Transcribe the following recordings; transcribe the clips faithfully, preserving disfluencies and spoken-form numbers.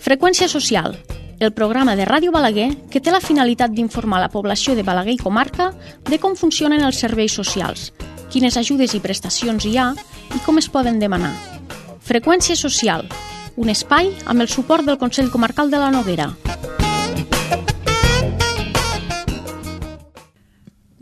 Freqüència social, el programa de Ràdio Balaguer que té la finalitat d'informar la població de Balaguer i comarca de com funcionen els serveis socials, quines ajudes i prestacions hi ha i com es poden demanar. Freqüència social, un espai amb el suport del Consell Comarcal de la Noguera.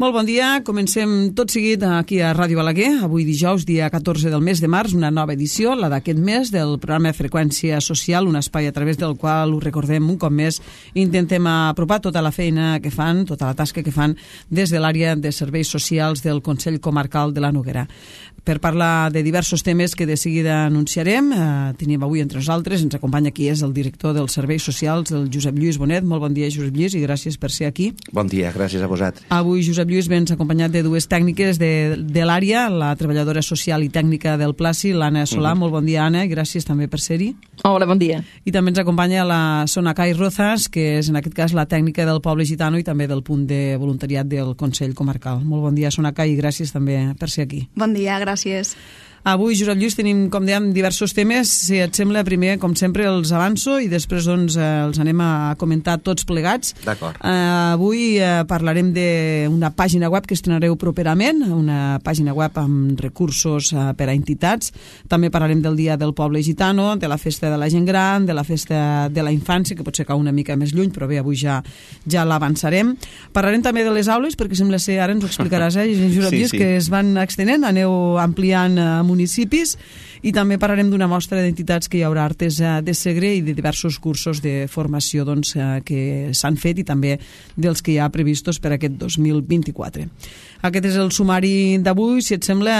Molt bon dia, comencem tot seguit aquí a Ràdio Balaguer, avui dijous, dia catorze del mes de març, una nova edició, la d'aquest mes, del programa Freqüència Social, un espai a través del qual, ho recordem un cop més, intentem apropar tota la feina que fan, tota la tasca que fan des de l'àrea de serveis socials del Consell Comarcal de la Noguera. Per parlar de diversos temes que de seguida anunciarem, eh, tenim avui entre nosaltres, ens acompanya aquí és el director dels serveis socials, el Josep Lluís Bonet. Molt bon dia, Josep Lluís, i gràcies per ser aquí. Bon dia, gràcies a vosaltres. Avui, Josep Lluís, vens acompanyat de dues tècniques de, de l'àrea, la treballadora social i tècnica del Placi, l'Anna Solà. Mm-hmm. Molt bon dia, Anna, i gràcies també per ser-hi. Hola, bon dia. I també ens acompanya la Sonacay Rozas, que és en aquest cas la tècnica del Poble Gitano i també del punt de voluntariat del Consell Comarcal. Molt bon dia, Sonacay, i gràcies també per ser aquí. Bon dia, gràcies. Avui, Josep Lluís, tenim, com dèiem, diversos temes. Si et sembla, primer, com sempre, els avanço i després doncs, els anem a comentar tots plegats. D'acord. Uh, avui uh, parlarem d'una pàgina web que estrenareu properament, una pàgina web amb recursos uh, per a entitats. També parlarem del Dia del Poble Gitano, de la Festa de la Gent Gran, de la Festa de la Infància, que potser cau una mica més lluny, però bé, avui ja, ja l'avançarem. Parlarem també de les aules, perquè sembla ser, ara ens ho explicaràs, eh, Josep Lluís, sí, sí. que es van extenent, aneu ampliant uh, municipis, i també parlarem d'una mostra d'entitats que hi haurà Artesa de Segre i de diversos cursos de formació doncs, que s'han fet i també dels que hi ha previstos per aquest dos mil vint-i-quatre. Aquest és el sumari d'avui. Si et sembla,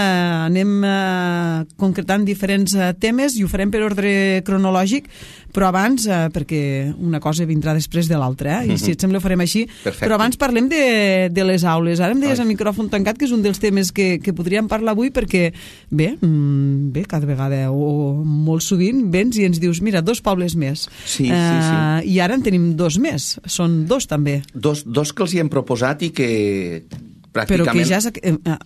anem eh, concretant diferents eh, temes i ho farem per ordre cronològic, però abans, eh, perquè una cosa vindrà després de l'altra, eh? I si et sembla ho farem així. Perfecte. Però abans parlem de, de les aules. Ara em deies a micròfon tancat que és un dels temes que, que podríem parlar avui perquè, bé, mm, bé, cada vegada o molt sovint vens i ens dius, mira, dos pobles més. Sí, eh, sí, sí. I ara en tenim dos més. Són dos també. Dos, dos que els hi hem proposat i que pràcticament... Però que ja és,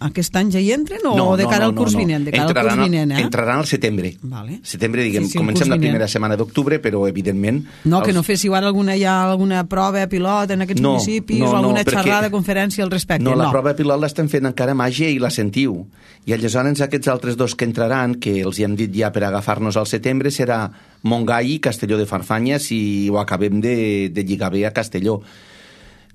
aquest any ja hi entren o no, de cara no, al curs no, no. vinent? De cara entraran, al curs vinent, eh? Entraran al setembre. Vale. Setembre, diguem, sí, sí, comencem la vinent. primera setmana d'octubre, però evidentment... No, els... que no féssiu ara alguna, ja alguna prova pilot en aquests no, municipis no, o alguna no, perquè... xerrada, conferència al respecte. No, la no. prova pilot l'estem fent encara a Màgia i la sentiu. I aleshores aquests altres dos que entraran, que els hi hem dit ja per agafar-nos al setembre, serà Montgai i Castelló de Farfanya, si ho acabem de, de lligar bé a Castelló.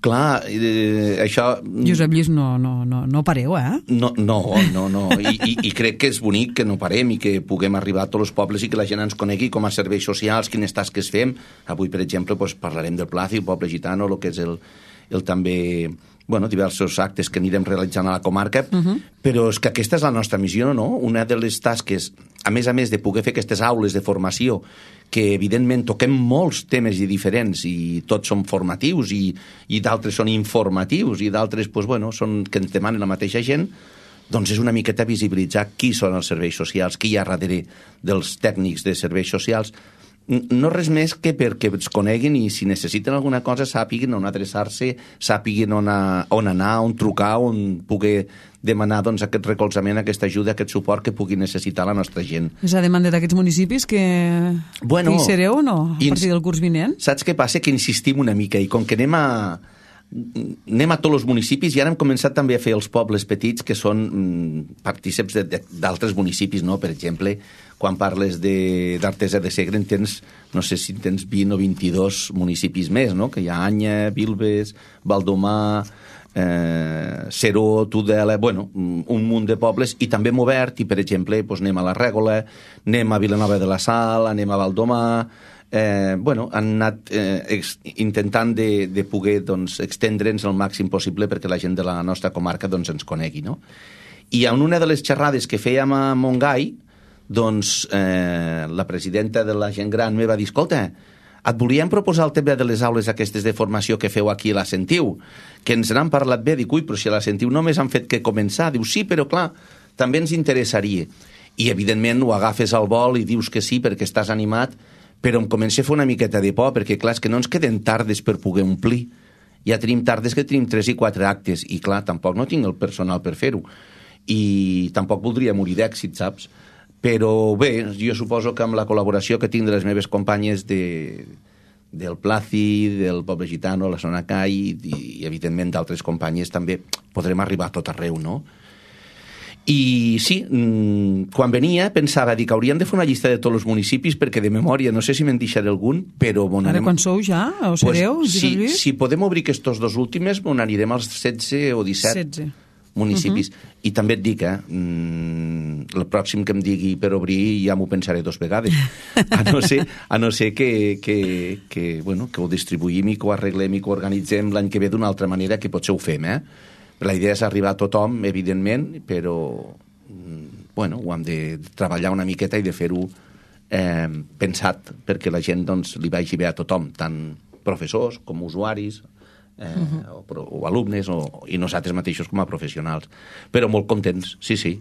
Clar, eh, això... Josep Lluís, no, no, no, no pareu, eh? No, no, no, no. I, i, i crec que és bonic que no parem i que puguem arribar a tots els pobles i que la gent ens conegui com a serveis socials, quines tasques fem. Avui, per exemple, doncs, parlarem del Placi, el poble gitano, el que és el, el també... bueno, diversos actes que anirem realitzant a la comarca, uh-huh. però és que aquesta és la nostra missió, no? Una de les tasques, a més a més de poder fer aquestes aules de formació, que evidentment toquem molts temes i diferents i tots són formatius i, i d'altres són informatius i d'altres, doncs, bueno, són que ens demanen la mateixa gent, doncs és una miqueta visibilitzar qui són els serveis socials, qui hi ha darrere dels tècnics de serveis socials. No res més que perquè ens coneguin i si necessiten alguna cosa sàpiguin on adreçar-se, sàpiguin on, a, on anar, on trucar, on poder demanar doncs, aquest recolzament, aquesta ajuda, aquest suport que pugui necessitar la nostra gent. És a demanda d'aquests municipis que, bueno, que hi sereu o no a partir del curs vinent? Saps què passa? Que insistim una mica i com que anem a... anem a tots els municipis i ara hem començat també a fer els pobles petits que són mm, partíceps d'altres municipis, no? Per exemple, quan parles d'Artesa de, de Segre en tens, no sé si tens vint o vint-i-dos municipis més, no? Que hi ha Anya, Vilves, Valdomar, eh, Seró, Tudela, bueno, un munt de pobles, i també hem obert, i per exemple doncs anem a la Règola, anem a Vilanova de la Sal, anem a Valdomar. Eh, bueno, han anat eh, ex, intentant de, de poder doncs, extendre'ns el màxim possible perquè la gent de la nostra comarca doncs, ens conegui, no? I en una de les xerrades que fèiem a Montgai, doncs eh, la presidenta de la gent gran me va dir, escolta, et volíem proposar el tema de les aules aquestes de formació que feu aquí a la Sentiu, que ens n'han parlat bé. Dic, ui, però si a la Sentiu només han fet que començar. Diu, sí, però clar, també ens interessaria. I evidentment ho agafes al vol i dius que sí perquè estàs animat, però em comença a fer una miqueta de por, perquè clar, és que no ens queden tardes per poder omplir. Ja tenim tardes que tenim tres i quatre actes, i clar, tampoc no tinc el personal per fer-ho. I tampoc voldria morir d'èxit, saps? Però bé, jo suposo que amb la col·laboració que tinc de les meves companyes de, del Placi, del Poble Gitano, la Sonacai i, i evidentment d'altres companyes també podrem arribar a tot arreu, no? I sí, quan venia pensava dir que hauríem de fer una llista de tots els municipis perquè de memòria, no sé si me'n deixaré algun, però... Bon, Ara anem... quan sou ja? O sereu? Pues, si, si podem obrir aquests dos últims, on anirem als setze o disset setze municipis. Uh -huh. I també et dic, eh, el pròxim que em digui per obrir ja m'ho pensaré dos vegades. A no ser, a no ser que, que, que, bueno, que ho distribuïm i que ho arreglem i que ho organitzem l'any que ve d'una altra manera, que potser ho fem, eh? La idea és arribar a tothom, evidentment, però bueno, ho hem de treballar una miqueta i de fer-ho eh, pensat perquè la gent doncs, li vagi bé a tothom, tant professors com usuaris, eh, uh -huh. o, o alumnes o, i nosaltres mateixos com a professionals. Però molt contents, sí, sí.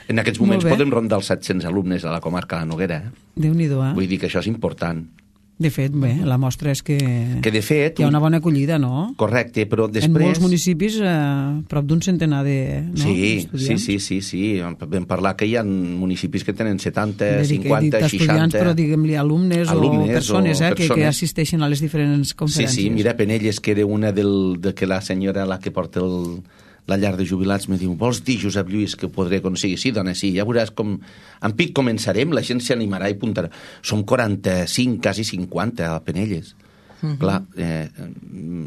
En aquests moments podem rondar els set-cents alumnes a la comarca de la Noguera. Eh? Déu-n'hi-do, eh? Vull dir que això és important. De fet, bé, la mostra és que, que de fet, hi ha una bona acollida, no? Correcte, però després... En molts municipis, eh, prop d'un centenar de no? sí, sí, sí, sí, sí. Vam parlar que hi ha municipis que tenen setanta, cinquanta, seixanta... Però diguem-li alumnes, alumnes o persones, o eh, persones. Que, que assisteixen a les diferents conferències. Sí, sí, mira, Penelles, que era una del, de que la senyora, la que porta el... la llar de jubilats, me diu, vols dir, Josep Lluís, que ho podré aconseguir? Sí, dona, sí, ja veuràs com... En pic començarem, la gent s'animarà i apuntarà. Som quaranta-cinc, quasi cinquanta a Penelles. Uh -huh. Clar, eh,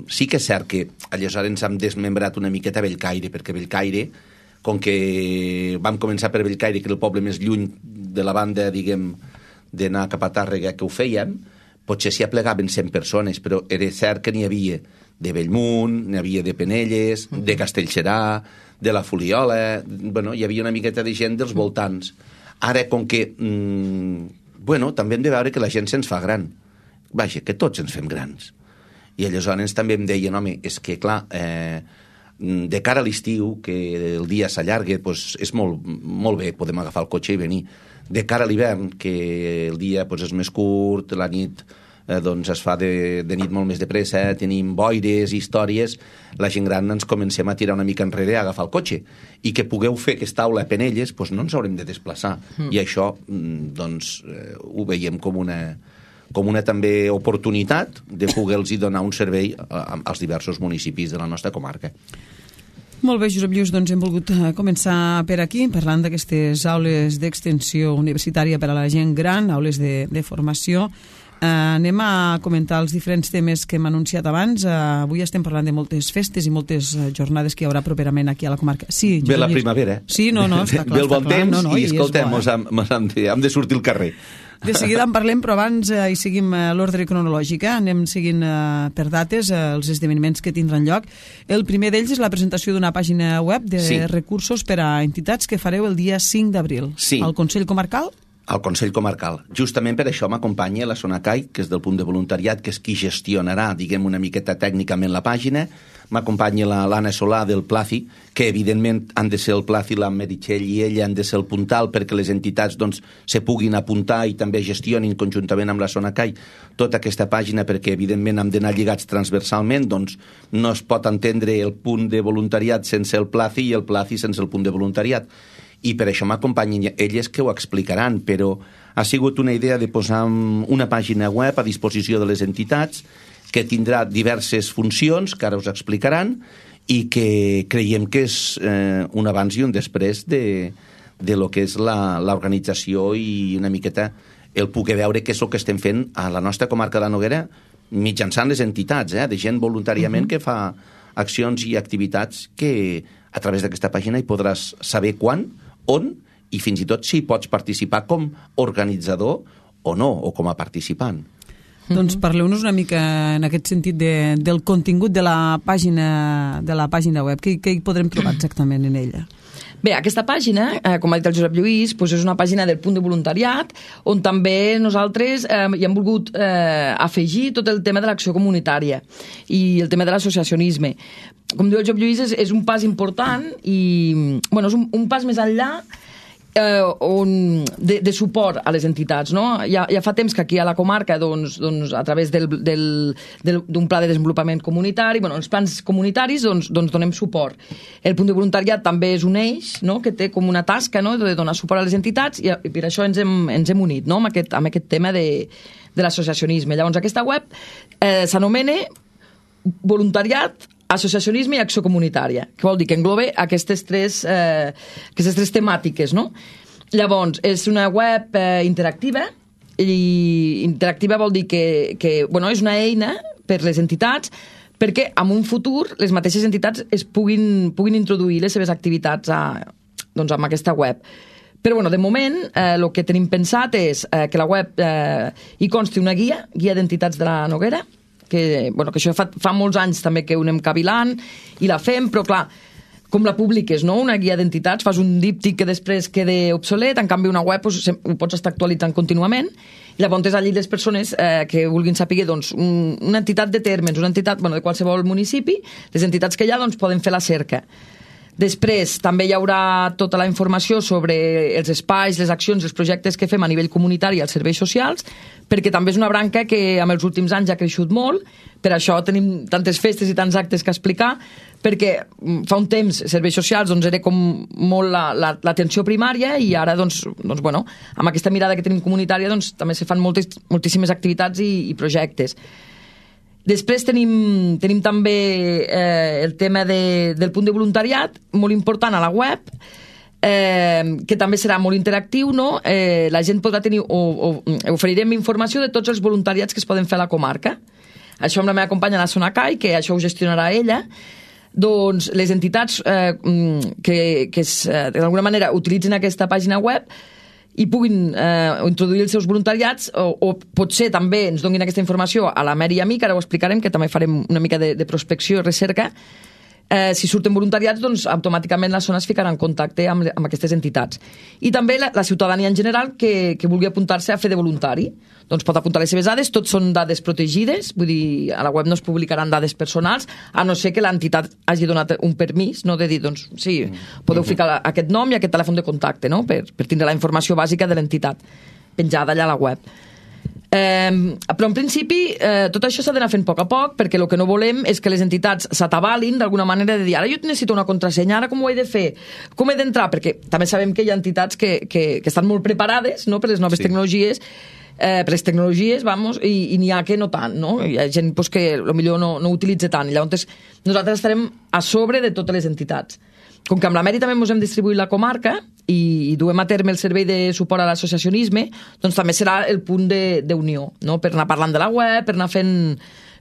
sí que és cert que aleshores ens hem desmembrat una miqueta a Bellcaire, perquè Bellcaire, com que vam començar per Bellcaire, que era el poble més lluny de la banda, diguem, d'anar cap a Tàrrega, que ho fèiem, potser s'hi aplegaven cent persones, però era cert que n'hi havia de Bellmunt, n'hi havia de Penelles, uh -huh. de Castellserà, de la Fuliola... Bueno, hi havia una miqueta de gent dels voltants. Ara, com que... Mmm, bueno, també hem de veure que la gent se'ns fa gran. Vaja, que tots ens fem grans. I aleshores també em deien, home, és que, clar, eh, de cara a l'estiu, que el dia s'allarga, doncs és molt, molt bé, podem agafar el cotxe i venir. De cara a l'hivern, que el dia doncs, és més curt, la nit... Eh, doncs es fa de, de nit molt més de pressa, tenim boires, històries, la gent gran ens comencem a tirar una mica enrere a agafar el cotxe, i que pugueu fer aquesta aula a Penelles, doncs no ens haurem de desplaçar, mm. i això doncs eh, ho veiem com una, com una també oportunitat de poder-los donar un servei a, als diversos municipis de la nostra comarca. Molt bé, Josep Lluís, doncs hem volgut començar per aquí, parlant d'aquestes aules d'extensió universitària per a la gent gran, aules de, de formació. Uh, anem a comentar els diferents temes que hem anunciat abans. Uh, avui estem parlant de moltes festes i moltes uh, jornades que hi haurà properament aquí a la comarca. Sí, ve la primavera. Sí, no, no, està clar. Ve el bon clar, temps no, no, i, i escoltem, bo, eh? hem, hem, de, hem de sortir al carrer. De seguida en parlem, però abans uh, hi seguim uh, l'ordre cronològic. Eh? Anem seguint uh, per dates uh, els esdeveniments que tindran lloc. El primer d'ells és la presentació d'una pàgina web de sí. recursos per a entitats que fareu el dia cinc d'abril. Sí. Al Consell Comarcal? Al Consell Comarcal. Justament per això m'acompanya la Sonacai, que és del punt de voluntariat, que és qui gestionarà, diguem, una miqueta tècnicament la pàgina. M'acompanya l'Anna Solà del Placi, que evidentment han de ser el Placi, la Meritxell i ella han de ser el puntal perquè les entitats doncs, se puguin apuntar i també gestionin conjuntament amb la Sonacai tota aquesta pàgina, perquè evidentment hem d'anar lligats transversalment, doncs no es pot entendre el punt de voluntariat sense el Placi i el Placi sense el punt de voluntariat. I per això m'acompanyen elles que ho explicaran, però ha sigut una idea de posar una pàgina web a disposició de les entitats que tindrà diverses funcions, que ara us explicaran, i que creiem que és eh, un abans i un després de, de lo que és l'organització i una miqueta el poder veure què és el que estem fent a la nostra comarca de la Noguera mitjançant les entitats, eh, de gent voluntàriament uh-huh. que fa accions i activitats que a través d'aquesta pàgina hi podràs saber quan, on i fins i tot si pots participar com organitzador o no, o com a participant. Doncs parleu-nos una mica en aquest sentit de, del contingut de la pàgina de la pàgina web. Què, què hi podrem trobar exactament en ella? Bé, aquesta pàgina, eh, com ha dit el Josep Lluís, doncs és una pàgina del punt de voluntariat on també nosaltres eh, hi hem volgut eh, afegir tot el tema de l'acció comunitària i el tema de l'associacionisme. Com diu el Josep Lluís, és, és un pas important i bueno, és un, un pas més enllà eh, on, de, de suport a les entitats. No? Ja, ja fa temps que aquí a la comarca, doncs, doncs, a través del, del, del, d'un pla de desenvolupament comunitari, bueno, els plans comunitaris, doncs, doncs donem suport. El punt de voluntariat també és un eix, no? Que té com una tasca, no? De donar suport a les entitats, i, i per això ens hem, ens hem unit, no? amb, aquest, amb aquest tema de, de l'associacionisme. Llavors, aquesta web eh, s'anomena Voluntariat, Associacionisme i Acció Comunitària, que vol dir que engloba aquestes tres, eh, aquestes tres temàtiques, no? Llavors, és una web eh, interactiva, i interactiva vol dir que, que bueno, és una eina per les entitats perquè en un futur les mateixes entitats es puguin, puguin introduir les seves activitats a, doncs, amb aquesta web. Però bueno, de moment el eh, que tenim pensat és eh, que la web eh, hi consti una guia, guia d'entitats de la Noguera, que, bueno, que això fa, fa molts anys també que ho anem cavilant i la fem, però clar, com la publiques, no? Una guia d'entitats, fas un díptic que després queda obsolet, en canvi una web doncs, ho pots estar actualitzant contínuament, i llavors allí les persones eh, que vulguin saber doncs, un, una entitat de Térmens, una entitat bueno, de qualsevol municipi, les entitats que hi ha doncs, poden fer la cerca. Després també hi haurà tota la informació sobre els espais, les accions, els projectes que fem a nivell comunitari als serveis socials, perquè també és una branca que en els últims anys ha creixut molt, per això tenim tantes festes i tants actes que explicar, perquè fa un temps serveis socials doncs, era com molt l'atenció la, la, primària i ara doncs, doncs, bueno, amb aquesta mirada que tenim comunitària doncs, també se fan moltes, moltíssimes activitats i, i projectes. Després tenim, tenim també eh, el tema de, del punt de voluntariat, molt important a la web, eh, que també serà molt interactiu, no? Eh, la gent podrà tenir, o, o oferirem informació de tots els voluntariats que es poden fer a la comarca. Això amb la meva companya, la Sonacai, que això ho gestionarà ella. Doncs les entitats eh, que, que es, eh, d'alguna manera utilitzin aquesta pàgina web i puguin eh, introduir els seus voluntariats o, o potser també ens donin aquesta informació a la Mary i a mi, que ara ho explicarem, que també farem una mica de, de prospecció i recerca. Eh, si surten voluntariats, doncs automàticament la zona es ficarà en contacte amb, amb aquestes entitats. I també la, la ciutadania en general que, que vulgui apuntar-se a fer de voluntari, doncs pot apuntar les seves dades, tots són dades protegides, vull dir, a la web no es publicaran dades personals, a no ser que l'entitat hagi donat un permís, no de dir, doncs sí, podeu ficar aquest nom i aquest telèfon de contacte, no? per, per tindre la informació bàsica de l'entitat penjada allà a la web. Eh, però en principi eh, tot això s'ha d'anar fent a poc a poc, perquè el que no volem és que les entitats s'atabalin d'alguna manera de dir, ara jo necessito una contrasenya, ara com ho he de fer, com he d'entrar, perquè també sabem que hi ha entitats que, que, que estan molt preparades, no?, per les noves sí. tecnologies, eh, per les tecnologies, vamos, i, i n'hi ha que no tant, no? Hi ha gent pues, que potser no, no utilitza tant, i llavors nosaltres estarem a sobre de totes les entitats. Com que amb la Mary també ens hem distribuït la comarca i, i duem a terme el servei de suport a l'associacionisme, doncs també serà el punt d'unió, no? Per anar parlant de la web, per anar fent,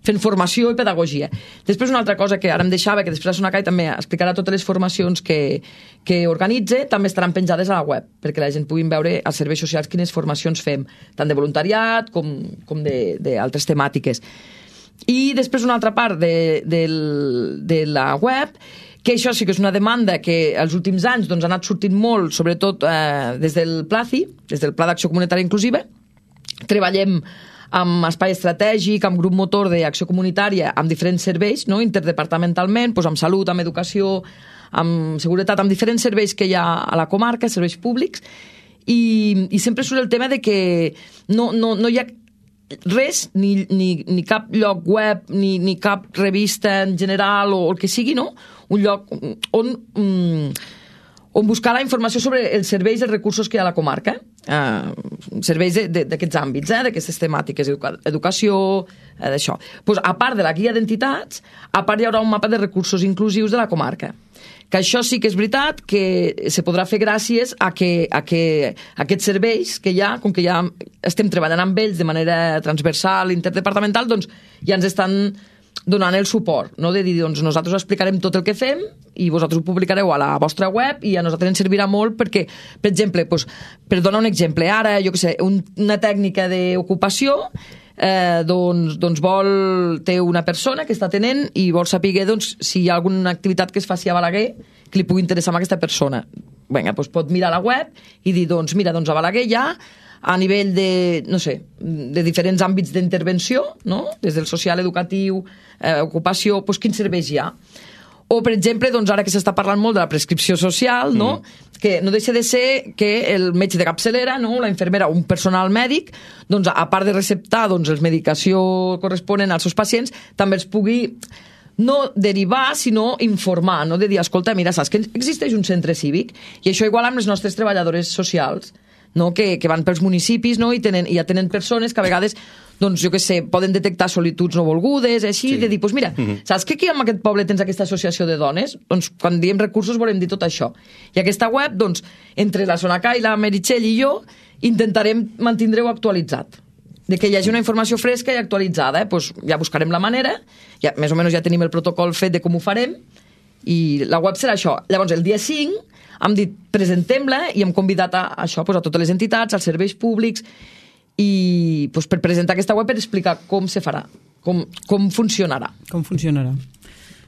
fent formació i pedagogia. Després una altra cosa que ara em deixava, que després la Sonacai també explicarà totes les formacions que, que organitza, també estaran penjades a la web, perquè la gent puguin veure als serveis socials quines formacions fem, tant de voluntariat com, com d'altres temàtiques. I després una altra part de, de, de la web, que això sí que és una demanda que els últims anys doncs, ha anat sortint molt, sobretot eh, des del PLACI, des del Pla d'Acció Comunitària Inclusiva. Treballem amb espai estratègic, amb grup motor d'acció comunitària, amb diferents serveis, no? Interdepartamentalment, doncs, amb salut, amb educació, amb seguretat, amb diferents serveis que hi ha a la comarca, serveis públics, i, i sempre surt el tema de que no, no, no hi ha res, ni, ni, ni cap lloc web, ni, ni cap revista en general o el que sigui, no? Un lloc on, um, on buscar la informació sobre els serveis i els recursos que hi ha a la comarca, uh, serveis d'aquests àmbits, eh, d'aquestes temàtiques, educa educació, eh, d'això. Pues, a part de la guia d'entitats, a part hi haurà un mapa de recursos inclusius de la comarca. Que això sí que és veritat que se podrà fer gràcies a que, a que aquests serveis que hi ha, com que ja estem treballant amb ells de manera transversal, interdepartamental, doncs ja ens estan donant el suport, no? De dir, doncs nosaltres explicarem tot el que fem i vosaltres ho publicareu a la vostra web i a nosaltres ens servirà molt perquè, per exemple, doncs, per donar un exemple, ara, jo què sé, un, una tècnica d'ocupació, eh, doncs, doncs vol, té una persona que està tenent i vol saber doncs, si hi ha alguna activitat que es faci a Balaguer que li pugui interessar a aquesta persona. Vinga, doncs pot mirar la web i dir, doncs mira, doncs a Balaguer hi ha a nivell de, no sé, de diferents àmbits d'intervenció, no? Des del social, educatiu, eh, ocupació, doncs quins serveis hi ha. O, per exemple, doncs, ara que s'està parlant molt de la prescripció social, no? Mm. que no deixa de ser que el metge de capçalera, no? la infermera o un personal mèdic, doncs, a part de receptar doncs, les medicació corresponen als seus pacients, també els pugui no derivar, sinó informar, no? de dir, escolta, mira, saps que existeix un centre cívic? I això igual amb les nostres treballadores socials, no? que, que van pels municipis, no? I, tenen, i ja tenen persones que a vegades, doncs, jo què sé, poden detectar solituds no volgudes, així, sí. de dir, doncs mira, mm-hmm. saps que aquí en aquest poble tens aquesta associació de dones? Doncs quan diem recursos volem dir tot això. I aquesta web, doncs, entre la Sonacai, la Meritxell i jo, intentarem mantindre-ho actualitzat. De que hi hagi una informació fresca i actualitzada, eh? Doncs ja buscarem la manera, ja, més o menys ja tenim el protocol fet de com ho farem, i la web serà això. Llavors, el dia cinc, hem dit, presentem-la i hem convidat a això, doncs, a totes les entitats, als serveis públics, i doncs, per presentar aquesta web per explicar com se farà, com, com funcionarà. Com funcionarà.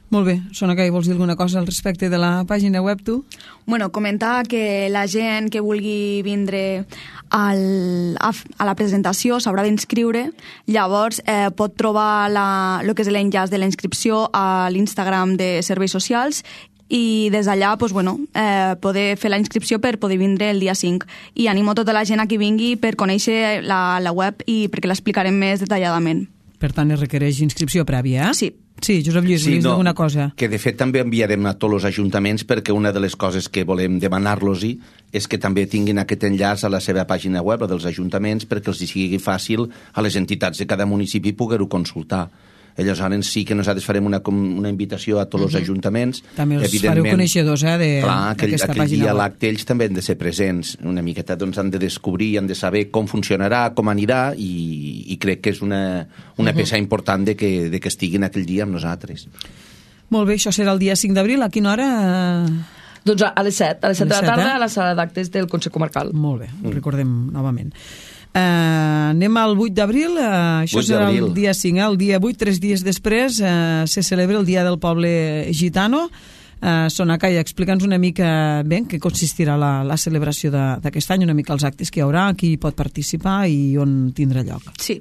Molt bé. Sonacai, vols dir alguna cosa al respecte de la pàgina web, tu? Bueno, comentar que la gent que vulgui vindre al, a, a la presentació s'haurà d'inscriure, llavors eh, pot trobar la, el que és l'enllaç de la inscripció a l'Instagram de Serveis Socials i des d'allà pues, bueno, eh, poder fer la inscripció per poder vindre el dia cinc. I animo tota la gent a que vingui per conèixer la, la web i perquè l'explicarem més detalladament. Per tant, es requereix inscripció prèvia, eh? Sí. Sí, Josep Lluís, sí, volies no, alguna cosa? Que de fet també enviarem a tots els ajuntaments perquè una de les coses que volem demanar-los-hi és que també tinguin aquest enllaç a la seva pàgina web, la dels ajuntaments, perquè els sigui fàcil a les entitats de cada municipi poder-ho consultar. Aleshores sí que nosaltres farem una, una invitació a tots els ajuntaments. També els fareu coneixedors eh, d'aquesta pàgina aquell dia web. l'acte ells també han de ser presents. Una miqueta doncs, han de descobrir, han de saber com funcionarà, com anirà i, i crec que és una, una uh-huh. peça important de que, de que estiguin aquell dia amb nosaltres. Molt bé, això serà el dia cinc d'abril. A quina hora? Doncs a les set, a les set de la tarda, eh? a la sala d'actes del Consell Comarcal. Molt bé, ho recordem novament. Uh, anem al vuit d'abril, uh, això serà el dia cinc, eh? El dia vuit, tres dies després, uh, se celebra el Dia del Poble Gitano. Uh, Sonacai, explica'ns una mica bé en què consistirà la, la celebració d'aquest any, una mica els actes que hi haurà, qui pot participar i on tindrà lloc. Sí.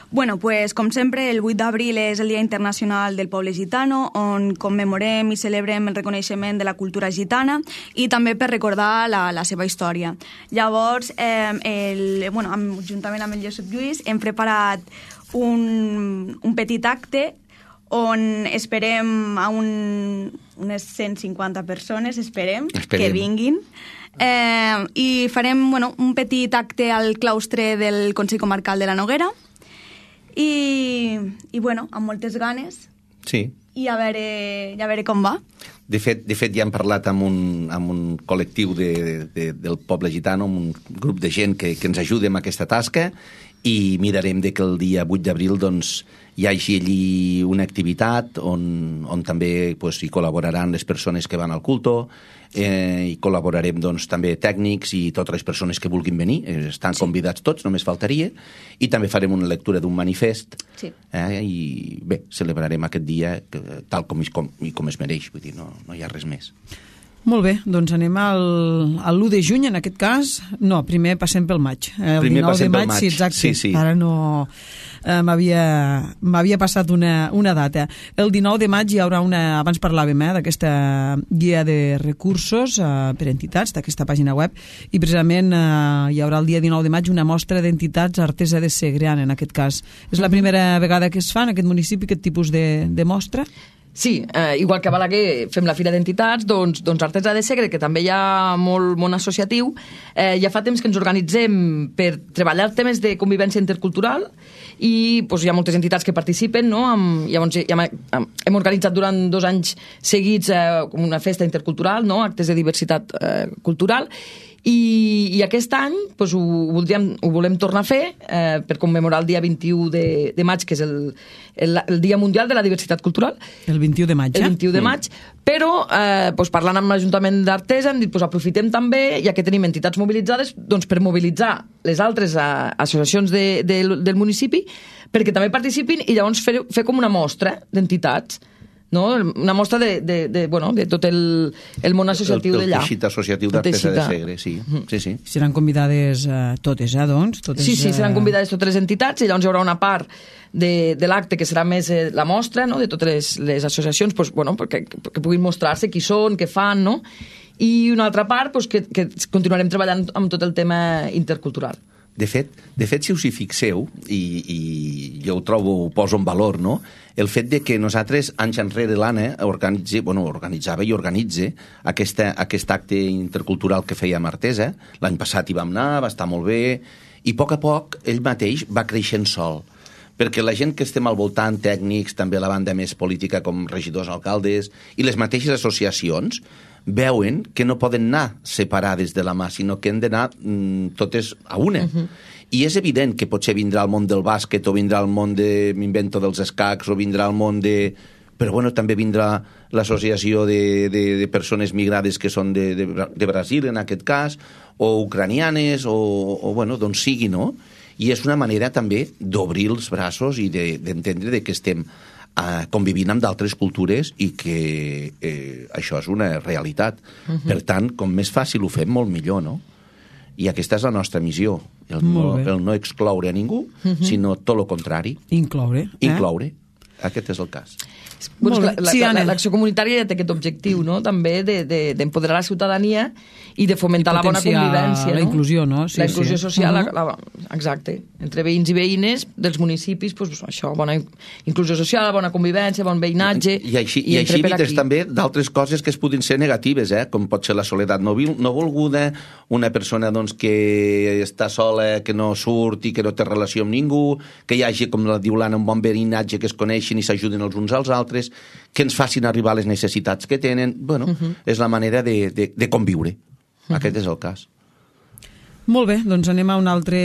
Bueno, pues, com sempre, el vuit d'abril és el Dia Internacional del Poble Gitano, on commemorem i celebrem el reconeixement de la cultura gitana i també per recordar la, la seva història. Llavors, eh, el, bueno, amb, juntament amb el Josep Lluís, hem preparat un, un petit acte on esperem a un, unes cent cinquanta persones, esperem, esperem. que vinguin. Eh, I farem bueno, un petit acte al claustre del Consell Comarcal de la Noguera i, i bueno, amb moltes ganes. Sí. I a veure, ja a veure com va. De fet, de fet ja hem parlat amb un, amb un col·lectiu de, de, del poble gitano, amb un grup de gent que, que ens ajuda en aquesta tasca i mirarem de que el dia vuit d'abril doncs, hi hagi allí una activitat on, on també pues, hi col·laboraran les persones que van al culto, eh, i col·laborarem doncs, també tècnics i totes les persones que vulguin venir, eh, estan sí. convidats tots, només faltaria, i també farem una lectura d'un manifest, sí. eh, i bé, celebrarem aquest dia que, tal com, com, com es mereix, vull dir, no, no hi ha res més. Molt bé, doncs anem al, al l'u de juny, en aquest cas. No, primer passem pel maig. El primer dinou de maig, maig, sí, exacte. Sí, sí. Ara no... Eh, m'havia passat una, una data. El dinou de maig hi haurà una... Abans parlàvem eh, d'aquesta guia de recursos eh, per entitats, d'aquesta pàgina web, i precisament eh, hi haurà el dia dinou de maig una mostra d'entitats Artesa de Segrià, en aquest cas. És la primera vegada que es fa en aquest municipi aquest tipus de, de mostra? Sí, eh, igual que a Balaguer fem la Fira d'Entitats, doncs, doncs Artesa de Segre, que també hi ha molt món associatiu, eh, ja fa temps que ens organitzem per treballar temes de convivència intercultural i doncs, hi ha moltes entitats que participen, no? Amb, llavors ja hem organitzat durant dos anys seguits eh, una festa intercultural, no? Actes de diversitat eh, cultural, i, i aquest any doncs, ho, voldríem, ho volem tornar a fer eh, per commemorar el dia vint-i-u de, de maig, que és el, el, el Dia Mundial de la Diversitat Cultural. El vint-i-u de maig, eh? El vint-i-u de maig, mm. però eh, doncs, parlant amb l'Ajuntament d'Artesa hem dit doncs, aprofitem també, ja que tenim entitats mobilitzades, doncs, per mobilitzar les altres eh, associacions de, de, del municipi perquè també participin i llavors fer, fer com una mostra d'entitats, no? Una mostra de, de, de, bueno, de tot el, el món associatiu d'allà. El teixit associatiu d'Artesa de Segre, sí. sí, sí. Seran convidades uh, totes, eh, doncs? Totes, sí, sí, seran convidades totes les entitats i llavors hi haurà una part de, de l'acte que serà més eh, la mostra, no?, de totes les, les associacions, pues, bueno, perquè, que puguin mostrar-se qui són, què fan, no?, i una altra part pues, que, que continuarem treballant amb tot el tema intercultural. De fet, de fet, si us hi fixeu, i, i jo ho trobo, ho poso en valor, no?, el fet de que nosaltres, anys enrere, l'Anna organitza, bueno, organitzava i organitza aquesta, aquest acte intercultural que fèiem a Artesa. L'any passat hi vam anar, va estar molt bé, i a poc a poc ell mateix va creixent sol. Perquè la gent que estem al voltant, tècnics, també la banda més política com regidors, alcaldes, i les mateixes associacions, veuen que no poden anar separades de la mà, sinó que han d'anar mm, totes a una. Uh-huh. I és evident que potser vindrà el món del bàsquet, o vindrà el món de m'invento dels escacs, o vindrà el món de... Però bueno, també vindrà l'associació de, de, de persones migrades que són de, de, de Brasil, en aquest cas, o ucranianes, o, o bueno, d'on sigui, no? I és una manera també d'obrir els braços i d'entendre de, de que estem Uh, convivint amb d'altres cultures i que eh, això és una realitat. Uh-huh. Per tant, com més fàcil ho fem, molt millor, no? I aquesta és la nostra missió, el, no, el no excloure a ningú, uh-huh. sinó tot el contrari. Incloure. Eh? Incloure. Aquest és el cas. Bueno, la, la, sí, la, l'acció comunitària ja té aquest objectiu, no?, també d'empoderar de, de, la ciutadania i de fomentar I la bona convivència. La no? inclusió, no? Sí, la inclusió sí. social, uh-huh. la, la, exacte. Entre veïns i veïnes dels municipis, pues, això, bona inclusió social, bona convivència, bon veïnatge... I, i així, i i així evites també d'altres coses que es podin ser negatives, eh? Com pot ser la soledat no, no volguda, una persona doncs, que està sola, que no surt i que no té relació amb ningú, que hi hagi, com la diu l'Anna, un bon veïnatge, que es coneixin i s'ajuden els uns als altres, que ens facin arribar les necessitats que tenen. Bueno, uh-huh. és la manera de, de, de conviure. Uh-huh. Aquest és el cas. Molt bé, doncs anem a una, altre,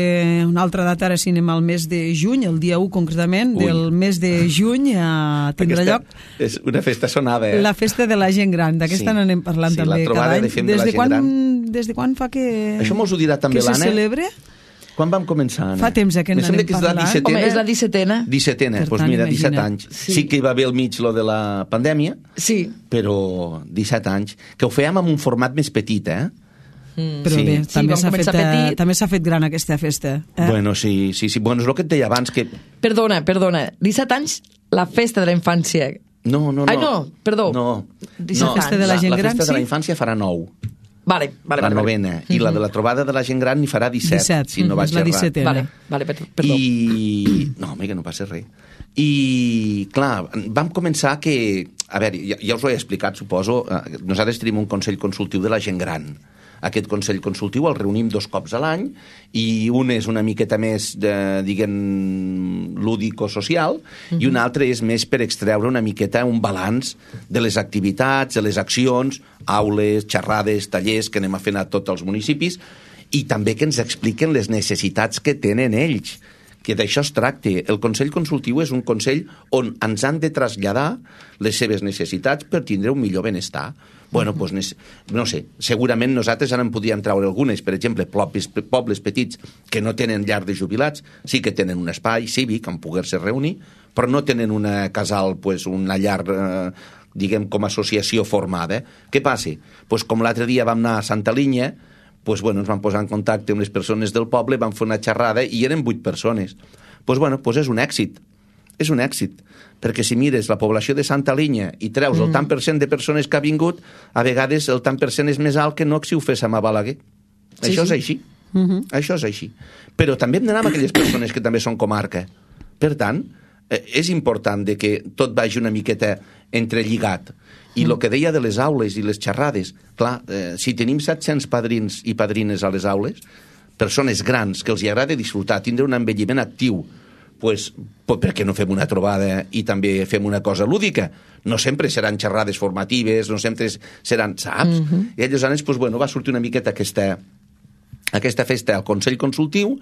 una altra data, ara sí anem al mes de juny, el dia u concretament, Ui. del mes de juny a tindrà aquesta lloc... És una festa sonada, eh? La festa de la gent gran, d'aquesta sí. n'anem parlant sí, també cada any. De des, de quan, gran. des de quan fa que... Això mos ho dirà també l'Anna. Que se celebra? Quan vam començar, Anna? Fa temps que n'anem parlant. És la Home, és la dissetena. Dissetena, doncs pues mira, disset anys. Sí. sí que hi va haver al mig lo de la pandèmia, sí. però disset anys. Que ho fèiem amb un format més petit, eh? Mm. Però sí. bé, sí, també s'ha fet, també s'ha fet gran aquesta festa. Eh? Bueno, sí, sí, sí. Bueno, és el que et deia abans que... Perdona, perdona. disset anys, la festa de la infància. No, no, no. Ai, no, perdó. No, disset no. Festa de la gent la, gran, la festa sí? de la infància farà nou. Vale, vale, la vale, novena. Vale. I la de la trobada de la gent gran n'hi farà disset, disset. Si no mm-hmm. vaig la errat. dissetena. Vale, vale, perdó. I... No, home, que no passa res. I, clar, vam començar que... A veure, ja, ja us ho he explicat, suposo. Nosaltres tenim un consell consultiu de la gent gran. Aquest consell consultiu el reunim dos cops a l'any i un és una miqueta més, de, diguem, lúdico-social uh-huh. i un altre és més per extreure una miqueta un balanç de les activitats, de les accions, aules, xerrades, tallers que anem a fer a tots els municipis i també que ens expliquen les necessitats que tenen ells, que d'això es tracta. El Consell Consultiu és un consell on ens han de traslladar les seves necessitats per tindre un millor benestar. Bueno, doncs, no sé, segurament nosaltres ara en podríem treure algunes, per exemple, pobles, pobles petits que no tenen llar de jubilats, sí que tenen un espai cívic on poder-se reunir, però no tenen una casal, pues, una llar, eh, diguem, com a associació formada. Què passa? Pues, com l'altre dia vam anar a Santa Linya, pues, bueno, ens vam posar en contacte amb les persones del poble, vam fer una xerrada i eren vuit persones. Pues, bueno, pues és un èxit. És un èxit, perquè si mires la població de Santa Linya i treus mm. el tant per cent de persones que ha vingut, a vegades el tant per cent és més alt que no si ho féssim a Balaguer. Sí, això sí. és així. Mm-hmm. Això és així. Però també hem d'anar amb aquelles persones que també són comarca. Per tant, eh, és important de que tot vagi una miqueta entrelligat. I el mm. que deia de les aules i les xerrades, clar, eh, si tenim set-cents padrins i padrines a les aules, persones grans que els hi agrada disfrutar, tindre un envelliment actiu, pues, pues per què no fem una trobada i també fem una cosa lúdica? No sempre seran xerrades formatives, no sempre seran, saps? Uh-huh. I llavors, pues, bueno, va sortir una miqueta aquesta, aquesta festa al Consell Consultiu,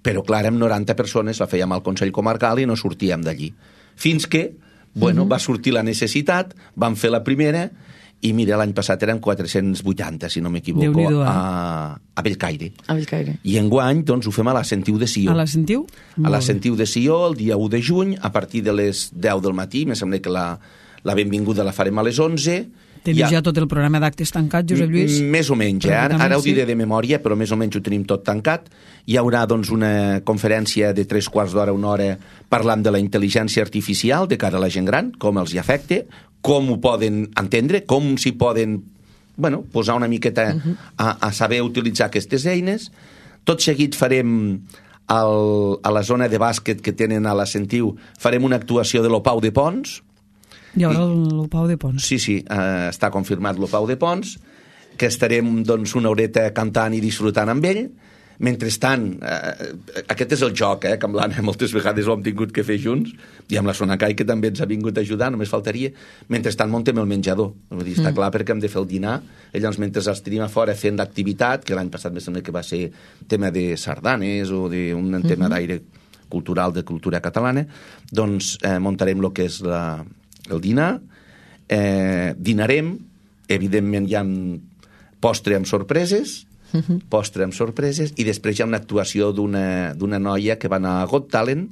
però clar, amb noranta persones la fèiem al Consell Comarcal i no sortíem d'allí. Fins que, bueno, uh-huh. va sortir la necessitat, vam fer la primera i mira, l'any passat eren quatre-cents vuitanta, si no m'equivoco, a, a Bellcaire. A Bellcaire. I enguany, doncs, ho fem a la Sentiu de Sió. A la Sentiu? A la Sentiu de Sió, el dia u de juny, a partir de les deu del matí, me sembla que la, La benvinguda la farem a les onze. Teniu ja, ja tot el programa d'actes tancat, Josep Lluís? Més o menys, eh? ara, ara ho diré de memòria, però més o menys ho tenim tot tancat. Hi haurà doncs, una conferència de tres quarts d'hora, una hora, parlant de la intel·ligència artificial de cara a la gent gran, com els hi afecta, com ho poden entendre, com s'hi poden bueno, posar una miqueta uh-huh. a, a saber utilitzar aquestes eines. Tot seguit farem al, a la zona de bàsquet que tenen a la Sentiu, farem una actuació de l'Opau de Pons. Hi haurà l'Opau de Pons. Sí, sí, eh, està confirmat l'Opau de Pons, que estarem doncs, una horeta cantant i disfrutant amb ell. Mentrestant, eh, aquest és el joc, eh, que amb l'Anna moltes vegades ho hem tingut que fer junts, i amb la Sonacai, que també ens ha vingut a ajudar, només faltaria. Mentrestant muntem el menjador. Vull dir, està mm. clar perquè hem de fer el dinar. Llavors, mentre els tenim a fora fent l'activitat, que l'any passat me sembla que va ser tema de sardanes o d'un mm-hmm. tema d'aire cultural, de cultura catalana, doncs eh, muntarem el que és la, el dinar, eh, dinarem, evidentment hi ha postre amb sorpreses, Uh-huh. postre amb sorpreses, i després hi ha una actuació d'una, d'una noia que va anar a Got Talent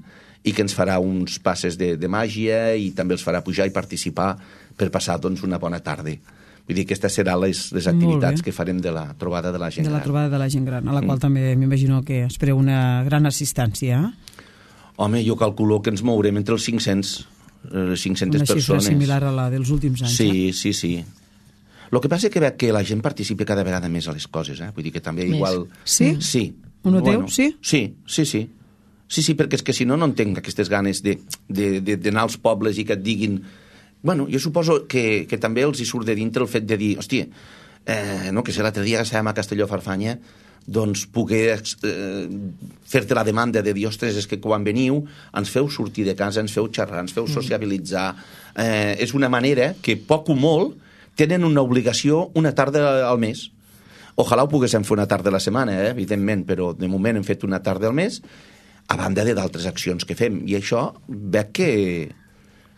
i que ens farà uns passes de, de màgia i també els farà pujar i participar per passar doncs, una bona tarda. Vull dir, aquestes seran les, les activitats que farem de la trobada de la gent gran. De la trobada de la gent gran, a la qual mm. també m'imagino que espereu una gran assistència. Home, jo calculo que ens mourem entre els cinc-cents, les cinc-centes persones. Una xifra similar a la dels últims anys. Sí, eh? sí, sí. El que passa és que veig que la gent participa cada vegada més a les coses, eh? Vull dir que també més. igual... Sí? Sí. Ho noteu, bueno, sí? Sí, sí, sí. Sí, sí, perquè és que si no, no entenc aquestes ganes de, de, de, d'anar als pobles i que et diguin... Bueno, jo suposo que, que també els hi surt de dintre el fet de dir, hòstia, eh, no, que si l'altre dia que estàvem a Castelló-Farfanya, doncs poder eh, fer-te la demanda de dir, ostres, és que quan veniu ens feu sortir de casa, ens feu xerrar, ens feu sociabilitzar. Eh, és una manera que poc o molt tenen una obligació una tarda al mes. Ojalà ho poguéssim fer una tarda a la setmana, eh? Evidentment, però de moment hem fet una tarda al mes, a banda de d'altres accions que fem. I això veig que,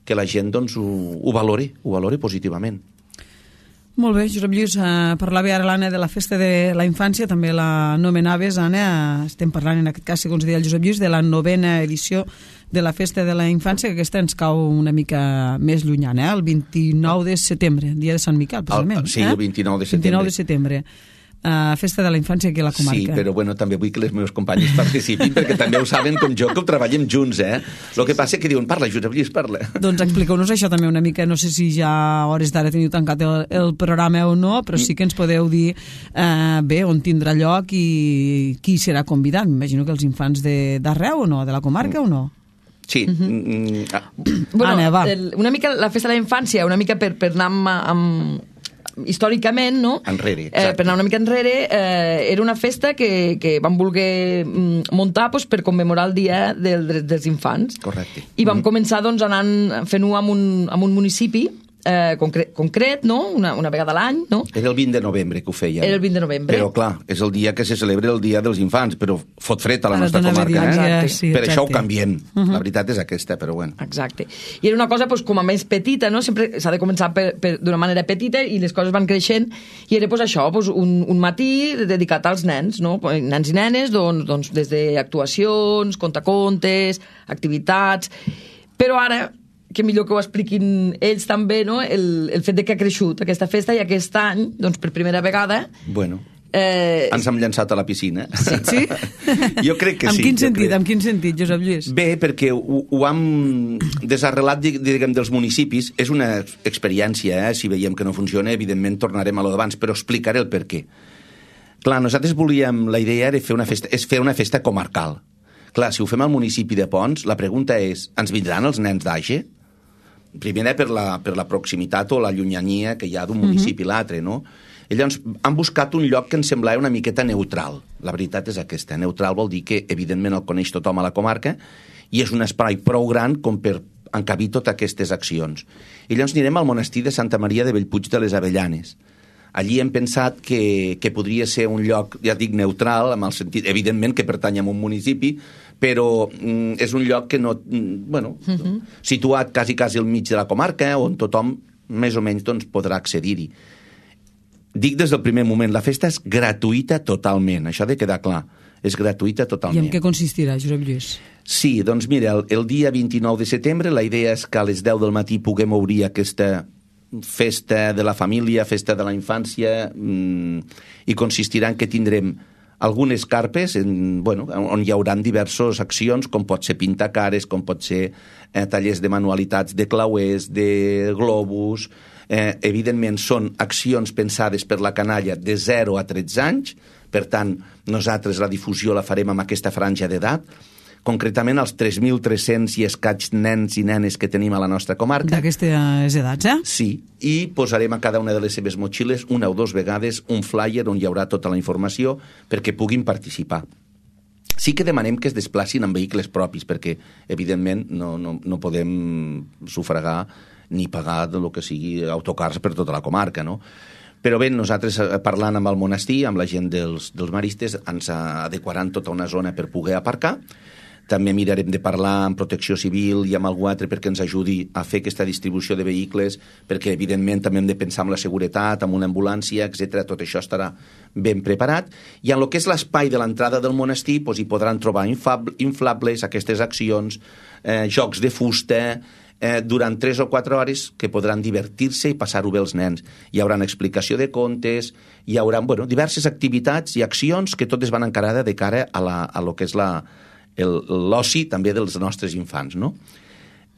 que la gent doncs, ho, ho valori, ho valori positivament. Molt bé, Josep Lluís, eh, parlava ara l'Anna de la festa de la infància, també la nomenaves, Anna, estem parlant en aquest cas, segons deia el Josep Lluís, de la novena edició de la festa de la infància, que aquesta ens cau una mica més llunyana, eh? El vint-i-nou de setembre, dia de Sant Miquel, precisament. El, sí, el vint-i-nou de setembre. vint-i-nou de setembre. Uh, festa de la infància aquí a la comarca. Sí, però bueno, també vull que les meves companyes participin, perquè també ho saben com jo, que ho treballem junts, eh? El que passa és que diuen, parla, Josep Lluís, parla. Doncs expliqueu-nos això també una mica, no sé si ja a hores d'ara teniu tancat el, el programa o no, però sí que ens podeu dir uh, bé, on tindrà lloc i qui serà convidat. M'imagino que els infants d'arreu o no, de la comarca o no? Sí. Uh-huh. mm, ah. Bueno, Anna, va. El, una mica la festa de la infància, una mica per, per anar amb, amb històricament, no? Enrere, eh, per anar una mica enrere, eh, era una festa que, que vam voler muntar pues, per commemorar el Dia del Dret dels Infants. Correcte. I vam mm-hmm. començar doncs, anant fent-ho amb un, amb un municipi eh, concret, concret, no? Una, una vegada a l'any, no? Era el vint de novembre que ho feien. Era el vint de novembre. Però, clar, és el dia que se celebra el Dia dels Infants, però fot fred a la Ara nostra comarca, eh? Exacte. Sí, per exacte. això ho canviem. Uh-huh. La veritat és aquesta, però bueno. Exacte. I era una cosa pues, com a més petita, no? Sempre s'ha de començar per, per, d'una manera petita i les coses van creixent, i era pues, això, pues, un, un matí dedicat als nens, no? Nens i nenes, doncs, doncs des d'actuacions, contacontes, activitats... Però ara, que millor que ho expliquin ells també, no? el, el fet de que ha crescut aquesta festa, i aquest any, doncs per primera vegada... Bueno, eh... ens hem llançat a la piscina. Sí? sí? Jo crec que en sí. Quin sentit, crec. en quin sentit, Josep Lluís? Bé, perquè ho, ho hem desarrelat, diguem, dels municipis. És una experiència, eh? Si veiem que no funciona, evidentment tornarem a lo d'abans, però explicaré el per què. Clar, nosaltres volíem, la idea era fer una festa, és fer una festa comarcal. Clar, si ho fem al municipi de Pons, la pregunta és, ens vindran els nens d'Age? Primera per la, per la proximitat o la llunyania que hi ha d'un municipi a l'altre, no? I llavors han buscat un lloc que ens semblava una miqueta neutral. La veritat és aquesta. Neutral vol dir que, evidentment, el coneix tothom a la comarca i és un espai prou gran com per encabir totes aquestes accions. I llavors anirem al monestir de Santa Maria de Bellpuig de les Avellanes. Allí hem pensat que, que podria ser un lloc, ja dic, neutral, amb el sentit, evidentment, que pertany a un municipi, però mm, és un lloc que no... Mm, bueno, uh-huh. situat quasi, quasi al mig de la comarca, on tothom, més o menys, doncs, podrà accedir-hi. Dic des del primer moment, la festa és gratuïta totalment, això ha de quedar clar. és gratuïta totalment. I en què consistirà, Josep Lluís? Sí, doncs mira, el, el dia vint-i-nou de setembre la idea és que a les deu del matí puguem obrir aquesta festa de la família, festa de la infància, mmm, i consistirà en que tindrem algunes carpes en, bueno, on hi haurà diverses accions, com pot ser pintar cares, com pot ser eh, tallers de manualitats de clauers, de globus. Eh, evidentment són accions pensades per la canalla de zero a tretze anys, per tant nosaltres la difusió la farem amb aquesta franja d'edat, concretament els tres mil tres-cents i escaig nens i nenes que tenim a la nostra comarca. D'aquestes edats, eh? Sí, i posarem a cada una de les seves motxilles una o dues vegades un flyer on hi haurà tota la informació perquè puguin participar. Sí que demanem que es desplacin en vehicles propis perquè, evidentment, no, no, no podem sufragar ni pagar del que sigui autocars per tota la comarca, no? Però bé, nosaltres parlant amb el monestir, amb la gent dels, dels maristes, ens adequaran tota una zona per poder aparcar. També mirarem de parlar amb Protecció Civil i amb algú altre perquè ens ajudi a fer aquesta distribució de vehicles, perquè evidentment també hem de pensar en la seguretat, amb una ambulància, etcètera. Tot això estarà ben preparat. I en el que és l'espai de l'entrada del monestir doncs hi podran trobar inflables, aquestes accions, eh, jocs de fusta, eh, durant tres o quatre hores que podran divertir-se i passar-ho bé els nens. Hi haurà explicació de contes, hi haurà bueno, diverses activitats i accions que totes van encarades de cara a, la, a lo que és la l'oci també dels nostres infants, no?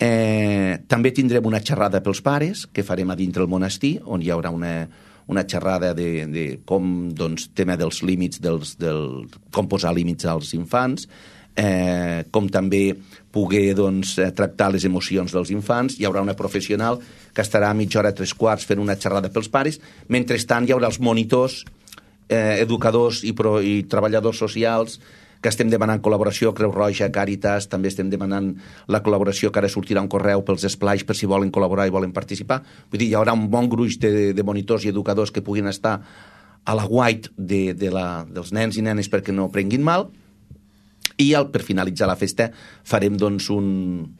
Eh, també tindrem una xerrada pels pares que farem a dintre el monestir, on hi haurà una, una xerrada de, de com, doncs, tema dels límits, dels, del, com posar límits als infants, eh, com també poder doncs, tractar les emocions dels infants. Hi haurà una professional que estarà a mitja hora, tres quarts, fent una xerrada pels pares. Mentrestant hi haurà els monitors, eh, educadors i, pro, i treballadors socials, que estem demanant col·laboració, Creu Roja, Càritas, també estem demanant la col·laboració, que ara sortirà un correu pels esplais per si volen col·laborar i volen participar. Vull dir, hi haurà un bon gruix de, de monitors i educadors que puguin estar a la guait de, de la, dels nens i nenes perquè no prenguin mal, i al, per finalitzar la festa farem doncs un,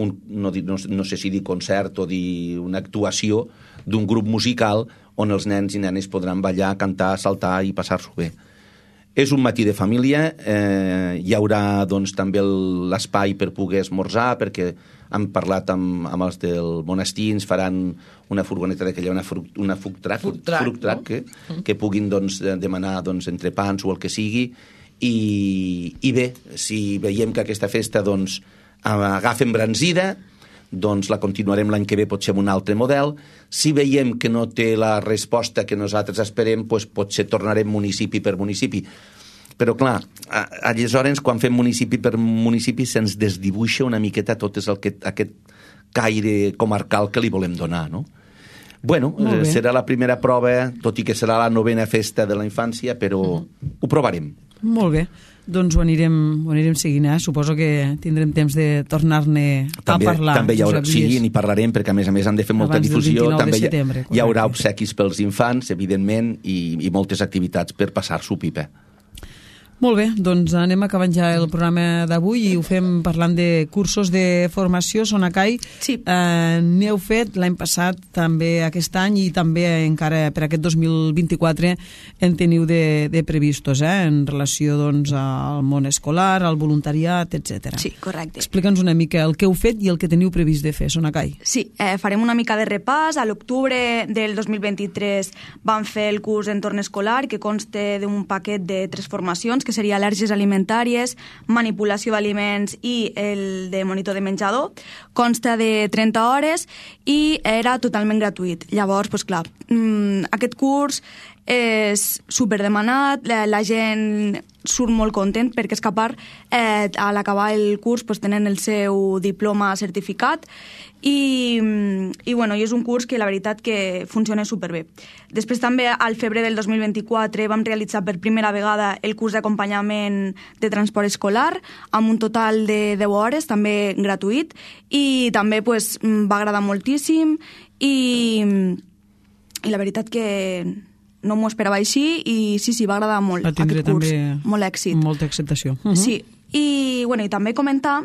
un no, no, no sé si dir concert o dir una actuació d'un grup musical on els nens i nenes podran ballar, cantar, saltar i passar-s'ho bé. És un matí de família, eh, hi haurà doncs, també l'espai per poder esmorzar, perquè hem parlat amb, amb els del monestir, ens faran una furgoneta d'aquella, una, fruc, una food truck, food truck, food truck no? que, que puguin doncs, demanar doncs, entrepans o el que sigui, i, i bé, si veiem que aquesta festa doncs, agafa embranzida, doncs la continuarem l'any que ve, potser amb un altre model. Si veiem que no té la resposta que nosaltres esperem, doncs potser tornarem municipi per municipi. Però clar, aleshores, quan fem municipi per municipi, se'ns desdibuixa una miqueta tot és el que, aquest caire comarcal que li volem donar, no? Bueno, eh, serà la primera prova, tot i que serà la novena festa de la infància, però mm. ho provarem. Molt bé. Doncs ho anirem, ho anirem seguint, eh? Suposo que tindrem temps de tornar-ne a parlar. També hi haurà, sí, n'hi parlarem, perquè a més a més han de fer molta abans difusió. També de setembre, hi, hi haurà obsequis pels infants, evidentment, i, i moltes activitats per passar-s'ho pipa. Molt bé, doncs anem acabant ja el programa d'avui i ho fem parlant de cursos de formació. Sonacai, sí. eh, n'heu fet l'any passat, també aquest any, i també encara per aquest dos mil vint-i-quatre en teniu de, de previstos, eh, en relació doncs, al món escolar, al voluntariat, etcètera. Sí, correcte. Explica'ns una mica el que heu fet i el que teniu previst de fer, Sonacai. Sí, eh, farem una mica de repàs. A l'octubre del dos mil vint-i-tres vam fer el curs d'entorn escolar, que consta d'un paquet de tres formacions, que seria al·lèrgies alimentàries, manipulació d'aliments i el de monitor de menjador. Consta de trenta hores i era totalment gratuït. Llavors, doncs clar, aquest curs és superdemanat, la, la gent surt molt content perquè és capaç, eh, a l'acabar el curs pues, tenen el seu diploma certificat i, i, bueno, i és un curs que la veritat que funciona superbé. Després també al febrer del dos mil vint-i-quatre vam realitzar per primera vegada el curs d'acompanyament de transport escolar amb un total de deu hores, també gratuït, i també pues, va agradar moltíssim i, i la veritat que no m'ho esperava així i sí, sí, va agradar molt aquest curs, molt èxit. Molta acceptació. Uh-huh. Sí, i, bueno, i també comentar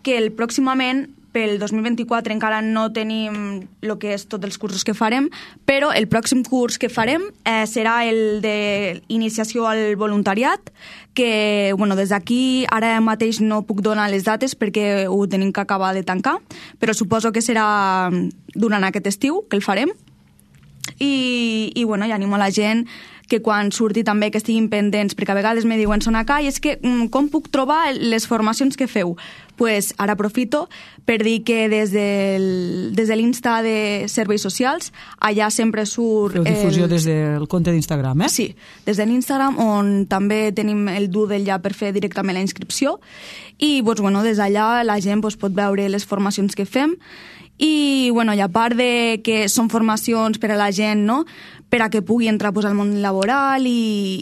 que el pròximament pel dos mil vint-i-quatre encara no tenim el que és tots els cursos que farem, però el pròxim curs que farem eh, serà el d'iniciació al voluntariat, que bueno, des d'aquí ara mateix no puc donar les dates perquè ho tenim que acabar de tancar, però suposo que serà durant aquest estiu que el farem. I, i bueno, i animo a la gent que quan surti també que estiguin pendents, perquè a vegades me diuen Sonacai, és que com puc trobar les formacions que feu? Pues ara aprofito per dir que des, del, des de l'Insta de Serveis Socials, allà sempre surt... Feu difusió el... des del compte d'Instagram, eh? Sí, des de l'Instagram, on també tenim el Doodle ja per fer directament la inscripció, i doncs, bueno, des d'allà la gent doncs, pot veure les formacions que fem, i, bueno, i a part de que són formacions per a la gent, no?, per a que pugui entrar pues, al món laboral i,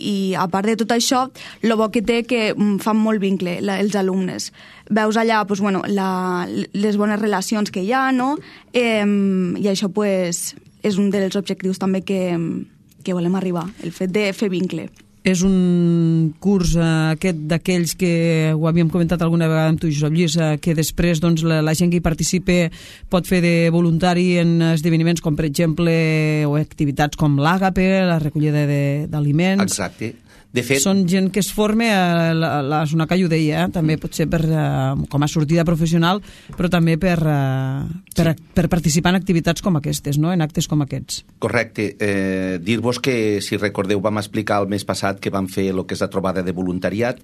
i a part de tot això, el bo que té que fan molt vincle la, els alumnes. Veus allà pues, bueno, la, les bones relacions que hi ha, no? Eh, i això pues, és un dels objectius també que, que volem arribar, el fet de fer vincle. És un curs eh, aquest d'aquells que ho havíem comentat alguna vegada amb tu, Josep Lluís, eh, que després doncs, la, la gent que hi participa pot fer de voluntari en esdeveniments com, per exemple, o activitats com l'Àgape, la recollida d'aliments. Exacte. De fet, són gent que es forma, eh, la, la Sonacai ho deia, eh, també pot ser per, eh, com a sortida professional, però també per, eh, per, sí. per participar en activitats com aquestes, no? En actes com aquests. Correcte. Eh, Dir-vos que, si recordeu, vam explicar el mes passat que vam fer el que és la trobada de voluntariat,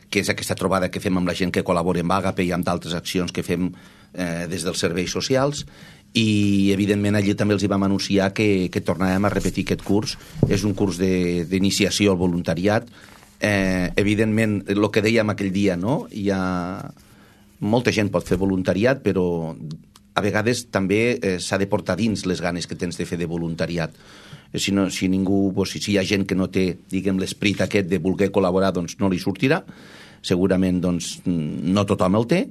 que és aquesta trobada que fem amb la gent que col·labora amb Àgape i amb d'altres accions que fem eh, des dels serveis socials, i evidentment allí també els hi vam anunciar que, que tornàvem a repetir aquest curs. És un curs d'iniciació al voluntariat. Eh, evidentment, el que dèiem aquell dia, no? Hi ha... molta gent pot fer voluntariat, però a vegades també eh, s'ha de portar dins les ganes que tens de fer de voluntariat. Si, no, si ningú, doncs, si hi ha gent que no té, diguem, l'esperit aquest de voler col·laborar, doncs no li sortirà. Segurament doncs, no tothom el té,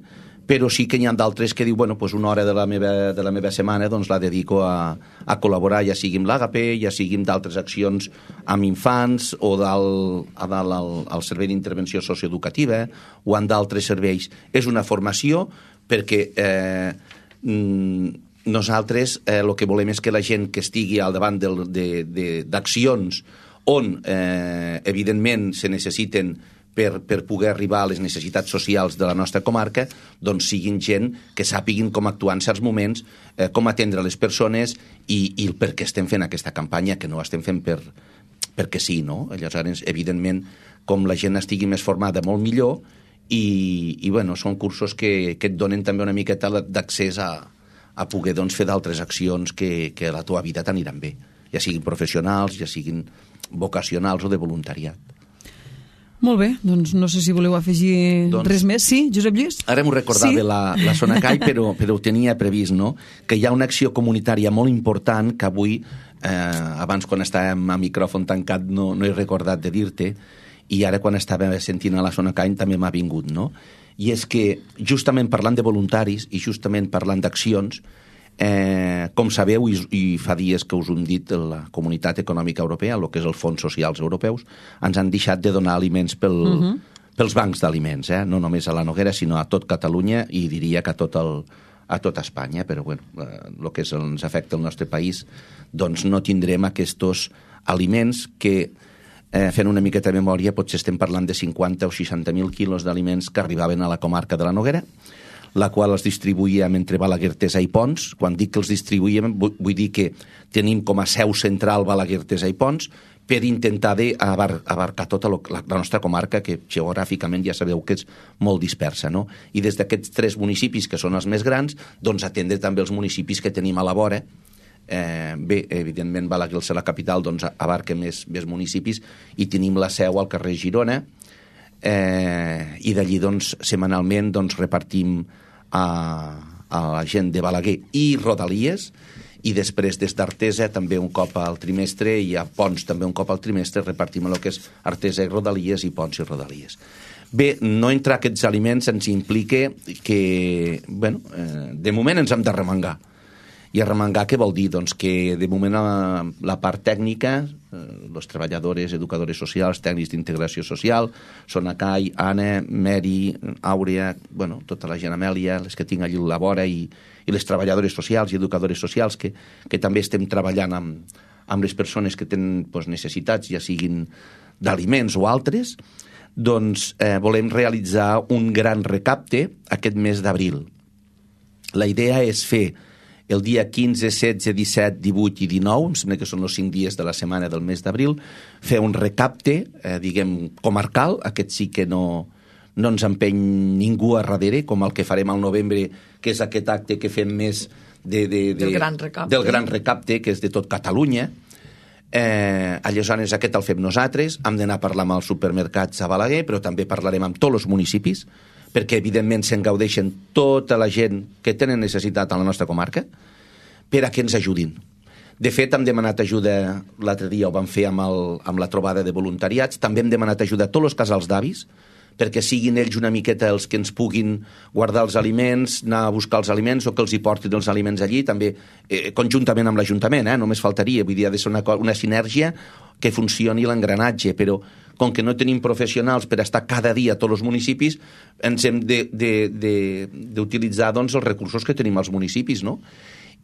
però sí que n'hi ha d'altres que diu, bueno, pues una hora de la meva, de la meva setmana doncs la dedico a, a col·laborar, ja sigui amb l'Àgape, ja sigui amb d'altres accions amb infants o dalt, a dalt al, al servei d'intervenció socioeducativa o en d'altres serveis. És una formació perquè eh, nosaltres eh, el que volem és que la gent que estigui al davant d'accions on eh, evidentment se necessiten Per, per poder arribar a les necessitats socials de la nostra comarca, doncs siguin gent que sàpiguin com actuar en certs moments, eh, com atendre les persones i, i el per què estem fent aquesta campanya, que no estem fent per, perquè sí, no? Llavors, evidentment, com la gent estigui més formada, molt millor, i, i bueno, són cursos que, que et donen també una miqueta d'accés a, a poder doncs, fer d'altres accions que, que a la teva vida t'aniran bé, ja siguin professionals, ja siguin vocacionals o de voluntariat. Molt bé, doncs no sé si voleu afegir doncs, res més. Sí, Josep Lluís? Ara m'ho recordava sí? la, la Sonacai, però, però ho tenia previst, no? Que hi ha una acció comunitària molt important que avui, eh, abans quan estàvem a micròfon tancat no, no he recordat de dir-te, i ara quan estava sentint a la Sonacai també m'ha vingut, no? I és que justament parlant de voluntaris i justament parlant d'accions, Eh, com sabeu, i, i fa dies que us ho hem dit, la Comunitat Econòmica Europea, el que és els fons socials europeus, ens han deixat de donar aliments pel, uh-huh. pels bancs d'aliments, eh? No només a la Noguera, sinó a tot Catalunya i diria que a tot, el, a tot Espanya, però bueno, eh, el que és, ens afecta el nostre país, doncs no tindrem aquests aliments que, eh, fent una miqueta de memòria, potser estem parlant de cinquanta o seixanta mil quilos d'aliments que arribaven a la comarca de la Noguera, la qual els distribuïem entre Balaguer, Teresa i Pons. Quan dic que els distribuïem, vull dir que tenim com a seu central Balaguer, Teresa i Pons, per intentar d'abar, abarcar tota la, la nostra comarca, que geogràficament ja sabeu que és molt dispersa, no? I des d'aquests tres municipis, que són els més grans, doncs atendre també els municipis que tenim a la vora. Eh, bé, evidentment Balaguer, la capital, doncs abarca més, més municipis, i tenim la seu al carrer Girona, eh, i d'allí doncs setmanalment doncs repartim a, a la gent de Balaguer i Rodalies, i després des d'Artesa també un cop al trimestre, i a Pons també un cop al trimestre repartim el que és Artesa i Rodalies i Pons i Rodalies. Bé, no entrar aquests aliments ens implica que, bueno, eh, de moment ens hem de remengar. I arremangar què vol dir? Doncs que de moment la, la part tècnica, eh, els treballadores, educadores socials, tècnics d'integració social, són Acai, Anna, Mary, Àurea, bueno, tota la gent, Amèlia, les que tinc allí a la vora, i, i les treballadores socials i educadores socials que, que també estem treballant amb, amb les persones que tenen doncs, necessitats, ja siguin d'aliments o altres, doncs eh, volem realitzar un gran recapte aquest mes d'abril. La idea és fer el dia quinze, setze, disset, divuit i dinou, em sembla que són els cinc dies de la setmana del mes d'abril, fer un recapte, eh, diguem, comarcal, aquest sí que no, no ens empeny ningú a darrere, com el que farem al novembre, que és aquest acte que fem més de, de, de, del, gran recapte. del gran recapte, que és de tot Catalunya. Eh, aleshores aquest el fem nosaltres, hem d'anar a parlar amb els supermercats a Balaguer, però també parlarem amb tots els municipis, perquè evidentment se'n gaudeixen tota la gent que tenen necessitat a la nostra comarca, per a que ens ajudin. De fet, hem demanat ajuda, l'altre dia ho vam fer amb, el, amb la trobada de voluntariats, també hem demanat ajuda a tots els casals d'avis, perquè siguin ells una miqueta els que ens puguin guardar els aliments, anar a buscar els aliments o que els hi portin els aliments allí, també eh, conjuntament amb l'Ajuntament, eh, només faltaria, vull dir, ha de ser una, una sinergia que funcioni l'engranatge, però com que no tenim professionals per estar cada dia a tots els municipis, ens hem d'utilitzar doncs, els recursos que tenim als municipis, no?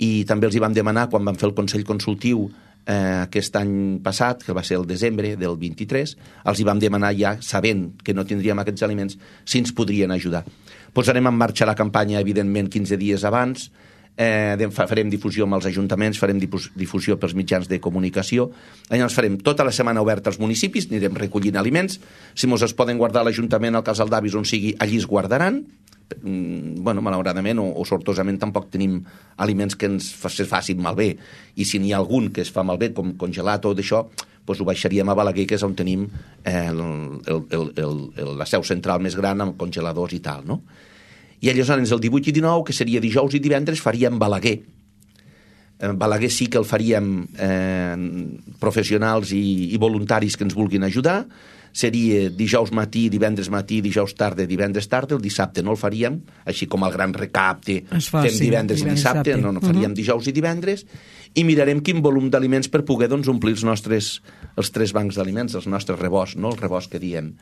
I també els hi vam demanar, quan vam fer el Consell Consultiu eh, aquest any passat, que va ser el desembre del vint-i-tres, els hi vam demanar ja, sabent que no tindríem aquests aliments, si ens podrien ajudar. Posarem en marxa la campanya, evidentment, quinze dies abans, eh, farem difusió amb els ajuntaments, farem difusió pels mitjans de comunicació, llavors farem tota la setmana oberta als municipis, anirem recollint aliments, si mos es poden guardar a l'Ajuntament, al casal d'avis, on sigui, allí es guardaran. Bueno, malauradament o, o sortosament tampoc tenim aliments que ens facin malbé, i si n'hi ha algun que es fa malbé, com congelat o d'això, doncs ho baixaríem a Balaguer, que és on tenim eh, el, el, el, el, la seu central més gran amb congeladors i tal, no? I aleshores el divuit i dinou, que seria dijous i divendres, faríem Balaguer. Balaguer sí que el faríem eh, professionals i, i voluntaris que ens vulguin ajudar. Seria dijous matí, divendres matí, dijous tarda, divendres tarda. El dissabte no el faríem, així com el gran recapte fa, fem sí, divendres, divendres i dissabte, no, no faríem uh-huh. dijous i divendres, i mirarem quin volum d'aliments per poder doncs, omplir els nostres els tres bancs d'aliments, els nostres rebosts, no? El rebost que diem.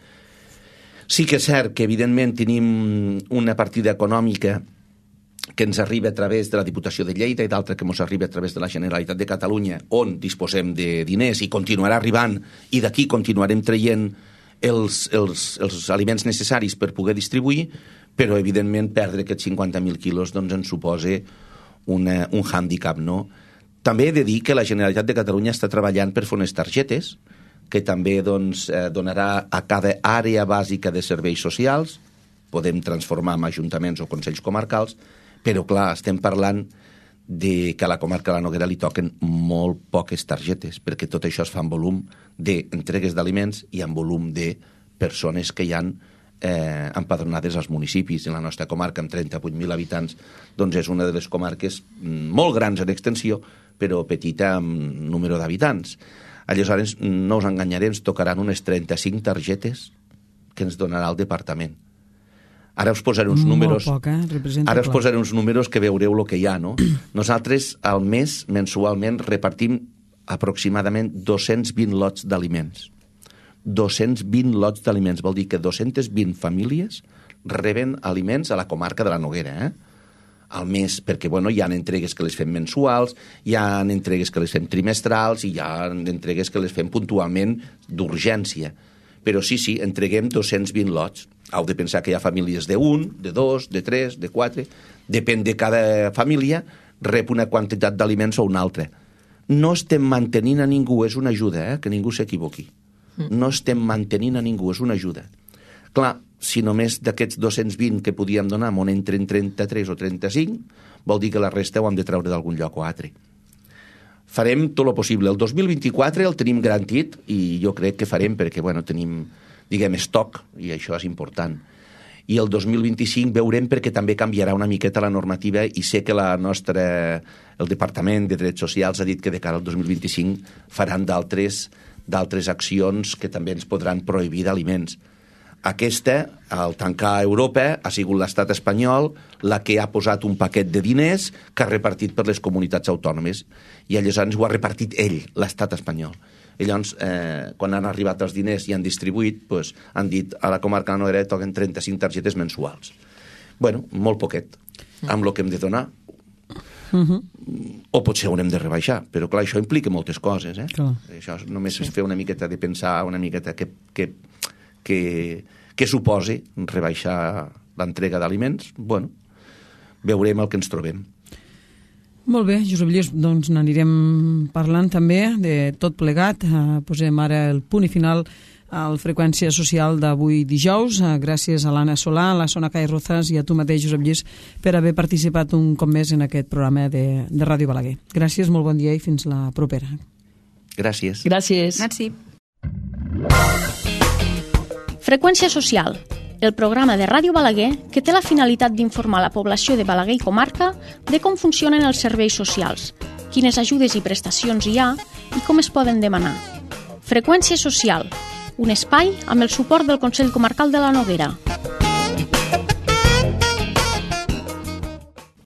Sí que és cert que, evidentment, tenim una partida econòmica que ens arriba a través de la Diputació de Lleida i d'altra que ens arriba a través de la Generalitat de Catalunya, on disposem de diners i continuarà arribant, i d'aquí continuarem traient els, els, els aliments necessaris per poder distribuir, però, evidentment, perdre aquests cinquanta mil quilos doncs, ens suposa una, un hàndicap, no? També he de dir que la Generalitat de Catalunya està treballant per fer unes targetes que també doncs, eh, donarà a cada àrea bàsica de serveis socials, podem transformar en ajuntaments o consells comarcals, però clar, estem parlant de que a la comarca de la Noguera li toquen molt poques targetes, perquè tot això es fa en volum d'entregues d'aliments i en volum de persones que hi han eh, empadronades als municipis. En la nostra comarca, amb trenta-vuit mil habitants, doncs és una de les comarques molt grans en extensió, però petita en número d'habitants. Aleshores, no us enganyaré, ens tocaran unes trenta-cinc targetes que ens donarà el departament. Ara us posaré uns números, poc, eh? ara us posaré uns números que veureu el que hi ha, no? Nosaltres, al mes, mensualment, repartim aproximadament dos-cents vint lots d'aliments. dos-cents vint lots d'aliments, vol dir que dos-centes vint famílies reben aliments a la comarca de la Noguera, eh? Al mes, perquè bueno, hi ha entregues que les fem mensuals, hi ha entregues que les fem trimestrals i hi ha entregues que les fem puntualment d'urgència. Però sí, sí, entreguem dos-cents vint lots. Heu de pensar que hi ha famílies de un, de dos, de tres, de quatre. Depèn de cada família, rep una quantitat d'aliments o una altra. No estem mantenint a ningú, és una ajuda, eh? Que ningú s'equivoqui. No estem mantenint a ningú, és una ajuda. Clar, si només d'aquests dos-cents vint que podíem donar on entren trenta-tres o trenta-cinc, vol dir que la resta ho hem de treure d'algun lloc o altre. Farem tot el possible. El dos mil vint-i-quatre el tenim garantit i jo crec que farem perquè bueno, tenim, diguem, estoc, i això és important. I el dos mil vint-i-cinc veurem perquè també canviarà una miqueta la normativa i sé que la nostra, el Departament de Drets Socials ha dit que de cara al dos mil vint-i-cinc faran d'altres d'altres accions que també ens podran prohibir d'aliments. aquesta, al tancar Europa, ha sigut l'estat espanyol la que ha posat un paquet de diners que ha repartit per les comunitats autònomes. I aleshores ho ha repartit ell, l'estat espanyol. I llavors, eh, quan han arribat els diners i han distribuït, pues, han dit a la comarca de la Noguera toquen trenta-cinc targetes mensuals. Bueno, molt poquet, amb el que hem de donar. Uh-huh. O potser haurem de rebaixar, però clar, això implica moltes coses, eh? Clar. Això només sí. és fer una miqueta de pensar, una miqueta que, que, que, que suposi rebaixar l'entrega d'aliments. Bueno, veurem el que ens trobem. Molt bé, Josep Lluís, doncs n'anirem parlant també de tot plegat. Uh, posem ara el punt i final al Freqüència Social d'avui dijous. Gràcies a l'Anna Solà, a la Sona Cai Rozas i a tu mateix, Josep Lluís, per haver participat un cop més en aquest programa de, de Ràdio Balaguer. Gràcies, molt bon dia i fins la propera. Gràcies. Gràcies. Merci. Freqüència Social, el programa de Ràdio Balaguer que té la finalitat d'informar la població de Balaguer i comarca de com funcionen els serveis socials, quines ajudes i prestacions hi ha i com es poden demanar. Freqüència Social, un espai amb el suport del Consell Comarcal de la Noguera.